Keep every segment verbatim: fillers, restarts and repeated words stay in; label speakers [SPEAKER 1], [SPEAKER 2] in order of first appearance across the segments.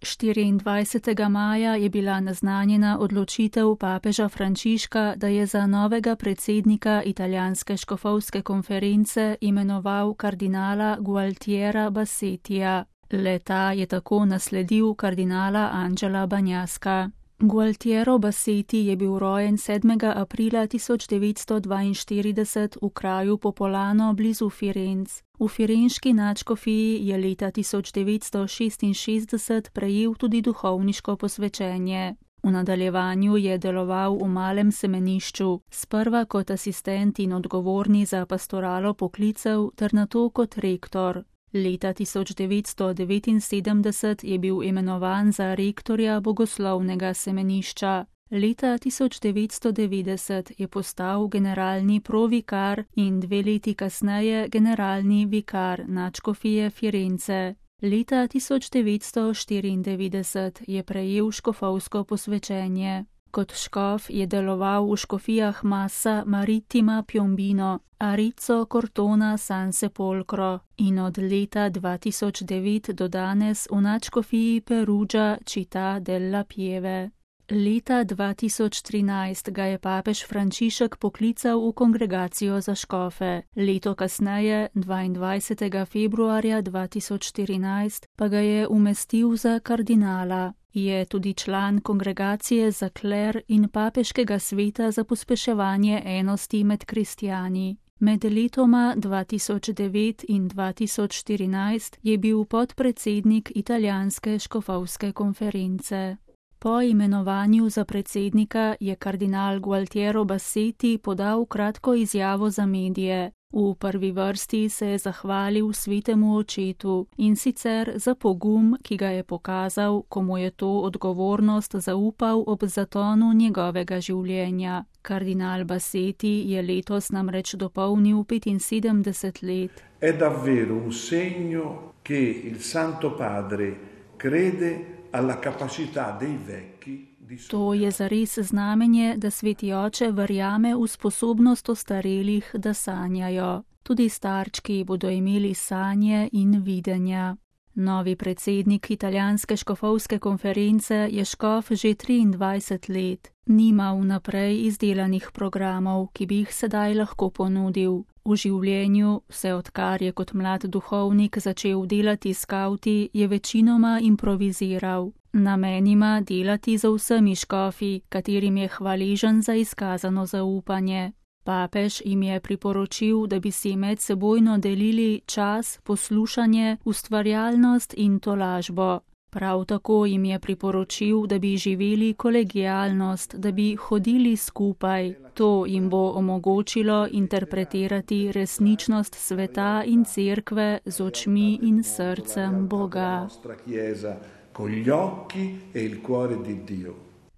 [SPEAKER 1] štiriindvajsetega maja je bila naznanjena odločitev papeža Frančiška, da je za novega predsednika italijanske škofovske konference imenoval kardinala Gualtiera Bassetija. Le-ta je tako nasledil kardinala Angela Bagnaska. Gualtiero Bassetti je bil rojen sedmega aprila tisoč devetsto dvainštirideset v kraju Popolano blizu Firenc. V firenški nadškofiji je leta tisoč devetsto šestinšestdeset prejel tudi duhovniško posvečenje. V nadaljevanju je deloval v malem semenišču, sprva kot asistent in odgovorni za pastoralo poklicev ter nato kot rektor. Leta tisoč devetsto devetinsedemdeset je bil imenovan za rektorja bogoslovnega semenišča. Leta tisoč devetsto devetdeset je postal generalni provikar in dve leti kasneje generalni vikar nadškofije Firence. Leta tisoč devetsto štiriindevetdeset je prejel škofovsko posvečenje. Kot škof je deloval v škofijah Massa Marittima Piombino, Arezzo Cortona San Sepolcro in od leta dva tisoč devet do danes v nadškofiji Perugia Città della Pieve. Leta dva tisoč trinajst ga je papež Frančišek poklical v kongregacijo za škofe. Leto kasneje, dvaindvajsetega februarja dva tisoč štirinajst, pa ga je umestil za kardinala. Je tudi član kongregacije za kler in papeškega sveta za pospeševanje enosti med kristjani. Med letoma dva tisoč devet in dva tisoč štirinajst je bil podpredsednik italijanske škofovske konference. Po imenovanju za predsednika je kardinal Gualtiero Bassetti podal kratko izjavo za medije. V prvi vrsti se je zahvalil svetemu očetu in sicer za pogum, ki ga je pokazal, ko mu je to odgovornost zaupal ob zatonu njegovega življenja. Kardinal Bassetti je letos namreč dopolnil petinsedemdeset let.
[SPEAKER 2] È davvero un segno che il Santo Padre crede alla capacità dei vecchi.
[SPEAKER 1] To je zares znamenje, da sveti oče verjame v sposobnost ostarelih, da sanjajo. Tudi starčki bodo imeli sanje in videnja. Novi predsednik italijanske škofovske konference je škof že triindvajset let. Nima vnaprej izdelanih programov, ki bi jih sedaj lahko ponudil. V življenju, vse odkar je kot mlad duhovnik začel delati s skavti, je večinoma improviziral. Namen ima delati za vsemi škofi, katerim je hvaležen za izkazano zaupanje. Papež jim je priporočil, da bi si medsebojno delili čas, poslušanje, ustvarjalnost in tolažbo. Prav tako jim je priporočil, da bi živeli kolegialnost, da bi hodili skupaj. To jim bo omogočilo interpretirati resničnost sveta in cerkve z očmi in srcem Boga.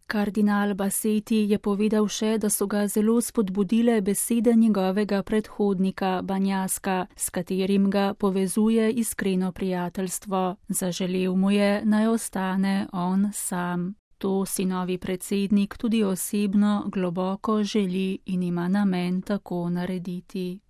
[SPEAKER 1] Kardinal Bassetti je povedal še, da so ga zelo spodbudile besede njegovega predhodnika Bagnaska, s katerim ga povezuje iskreno prijateljstvo. Zaželel mu je, naj ostane on sam. To si novi predsednik tudi osebno globoko želi in ima namen tako narediti.